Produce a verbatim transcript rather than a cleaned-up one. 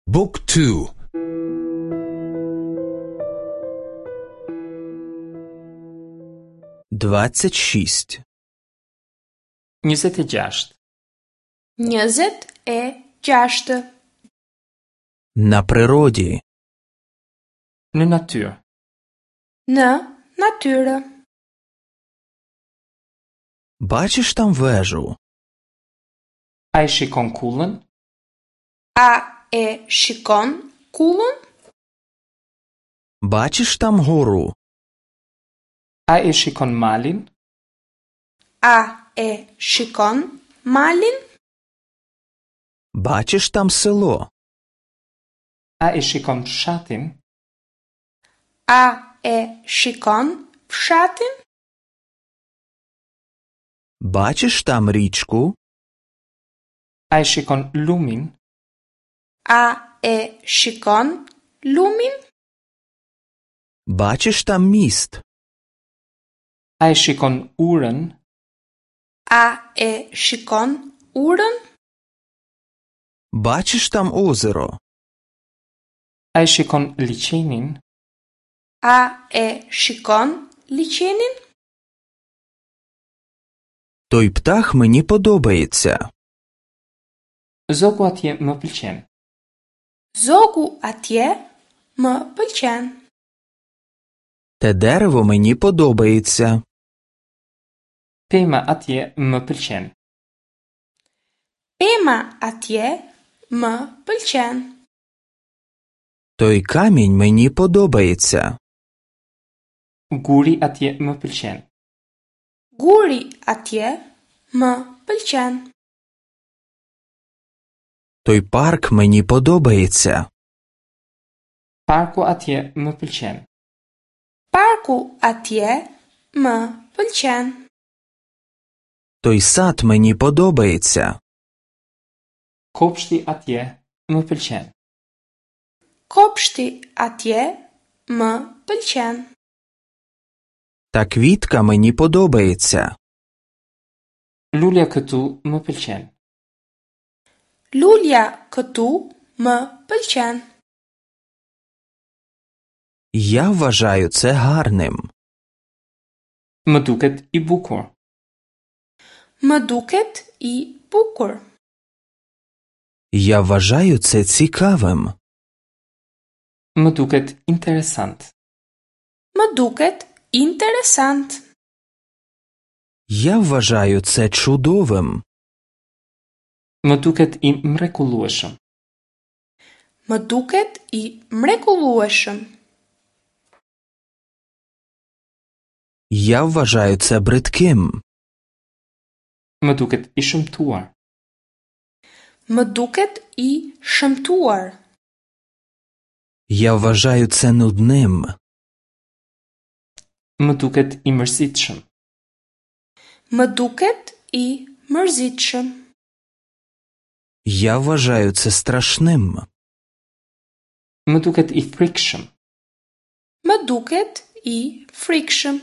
Book two. Двадцять шість. njëzet e gjashtë. njëzet e gjashtë. На природі. Në natyrë. Në natyrë. Бачиш там вежу? A e shikon kullën? A e shikon kullën? Бачиш там гору? A e shikon malin? A e shikon malin? Бачиш там село? A e shikon fshatin? A e shikon fshatin? Бачиш там річку? A e shikon lumin? A e shikon lumin? Бачиш там міст? A e shikon urën? A e shikon urën? Бачиш там озеро? A e shikon liçenin? A e shikon liçenin? Той птах мені подобається. Zogu atje më pëlqen. Zogu atje më pëlqen. Те дерево мені подобається. Pema atje më pëlqen. Pema atje më pëlqen. Той камінь мені подобається. Guri atje më pëlqen. Guri atje më pëlqen. Той парк мені подобається. Parku atje më pëlqen. Parku atje më pëlqen. Той сад мені подобається. Kopshti atje më pëlqen. Kopshti atje më pëlqen. Та квітка мені подобається. Lulja këtu më pëlqen. Lulja këtu më pëlqen. Я вважаю це гарним. Më duket i bukur. Më duket i bukur. Я вважаю це цікавим. Më duket interesant. Më duket interesant. Я вважаю це чудовим. Më duket i mrekullueshëm. Më duket i mrekullueshëm. Я вважаю це бридким. Më duket i shëmtuar. Më duket i shëmtuar. Я вважаю це нудним. Më duket i mërzitshëm. Më duket i mërzitshëm. Я вважаю це страшним. Më duket i frikshëm. Më duket i frikshëm.